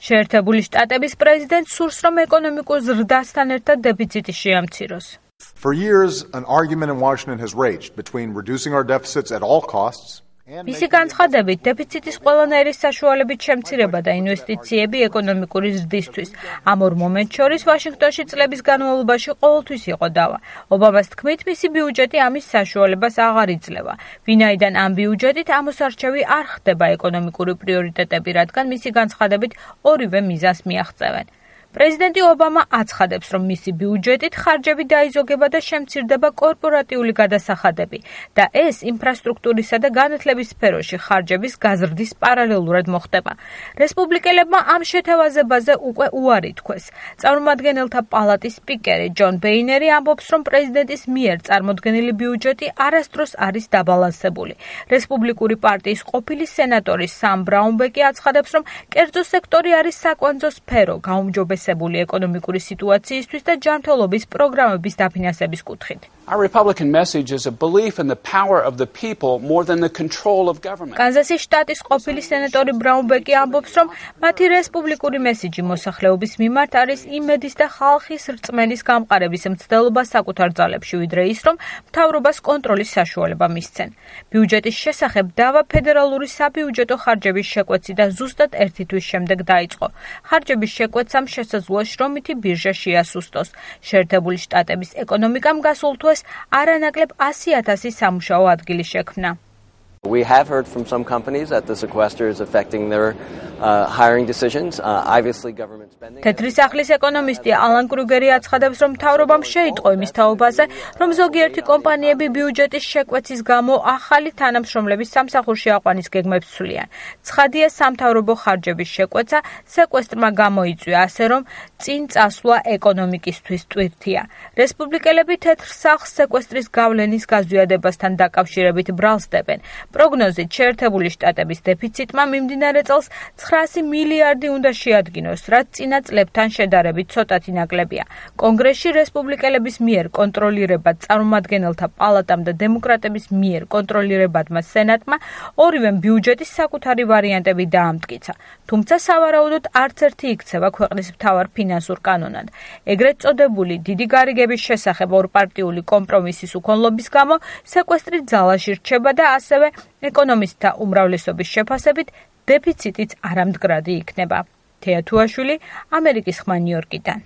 შეერთებული შტატების პრეზიდენტს სურს, რომ ეკონომიკურ ზრდასთან ერთად დეფიციტი შეამციროს. For years, an argument in Washington has raged between reducing our deficits at all costs მისი განცხადებით, დეფიციტის ყველანაირი საშუალებით შემცირება და ინვესტიციები ეკონომიკური ზრდისთვის. ამ ორ მომენტს შორის ვაშინგტონში წლების განმავლობაში ყოველთვის იყო დავა. ობამას თქმით, მისი ბიუჯეტი ამის საშუალებას აღარ იძლევა. ვინაიდან ამ ბიუჯეტით ამოსარჩევი არ ხდება ეკონომიკური პრიორიტეტები, რადგან მისი განცხადებით ორივე მიზანს მიაღწევენ. პრეზიდენტი ობამა აცხადებს, რომ მისი ბიუჯეტით ხარჯები დაიზოგება და შემცირდება კორპორატიული გადასახადები და ეს ინფრასტრუქტურისა და განათლების სფეროში ხარჯების გაზრდის პარალელურად მოხდება. რესპუბლიკელებმა ამ შეთავაზებაზე უკვე უარი თქვეს. წარმომადგენელთა პალატის სპიკერი ჯონ ბეინერი ამბობს, რომ პრეზიდენტის მიერ წარმოდგენილი ბიუჯეტი არასდროს არის დაბალანსებული. რესპუბლიკური პარტიის ყოფილი სენატორი სამ ბრაუნბეკი აცხადებს, რომ კერძო სექტორი არის საკვანძო სფერო გაუმჯობესებული ეკონომიკური სიტუაციისთვის და ჯანმრთელობის პროგრამების დაფინანსების კუთხით. Our Republican message is a belief in the power of the people more than the control of government. კანზასის შტატის ყოფილი სენატორი ბრაუნბეკი ამბობს, რომ მათი რესპუბლიკური მესიჯი მოსახლეობის მიმართ არის იმედის და ხალხის რწმენის გამყარების მცდელობა საკუთარ ძალებში, ვიდრე ის, რომ მთავრობას კონტროლის საშუალება მისცენ. ბიუჯეტის შესახებ დავა ფედერალური საბიუჯეტო ხარჯების შეკვეციდან ზუსტად ერთი თვის შემდეგ დაიწყო. ხარჯების შეკვეცამ შესაძლოა შრომითი ბირჟა შეასუსტოს. შეერთებული შტატების ეკონომიკამ გასულ თვეს არანაკლებ 100,000 სამუშაო ადგილი შექმნა. We have heard from some companies that the sequester is affecting their hiring decisions. Obviously government spending. თეთრი სახლის ეკონომისტი ალან კრუგერი აცხადებს, რომ მთავრობამ შეიტყო იმის თაობაზე, რომ ზოგიერთი კომპანიები ბიუჯეტის შეკვეცის გამო ახალი თანამშრომლების სამსახურში აყვანის გეგმებს ცვლიან. ცხადია, სამთავრობო ხარჯების შეკვეცა სეკვესტრმა გამოიწვია, ასე რომ წინ წასვლა ეკონომიკისთვის ტვირთია. რესპუბლიკელები თეთრ სახლს სეკვესტრის გავლენის გაზვიადებასთან დაკავშირებით ბრალს დებენ. პროგნოზით შეერთებული შტატების დეფიციტმა მიმდინარე წელს 900 მილიარდი უნდა შეადგინოს, რაც წინა წლებთან შედარებით ცოტათი ნაკლებია. კონგრესში რესპუბლიკელების მიერ კონტროლირებად წარმომადგენელთა პალატამ და დემოკრატების მიერ კონტროლირებადმა სენატმა ორივემ ბიუჯეტის საკუთარი ვარიანტები დაამტკიცა. თუმცა სავარაუდოდ არც ერთი იქცევა ქვეყნის მთავარ ფინანსურ კანონად. ეგრეთ წოდებული დიდი გარიგების შესახებ ორპარტიული კომპრომისის უქონლობის გამო სეკვესტრი ძალაში რჩება და ასევე ეკონომისტთა უმრავლესობის შეფასებით დეფიციტიც არამდგრადი იქნება. თეა თუაშვილი, ამერიკის ხმა ნიუ-იორკიდან.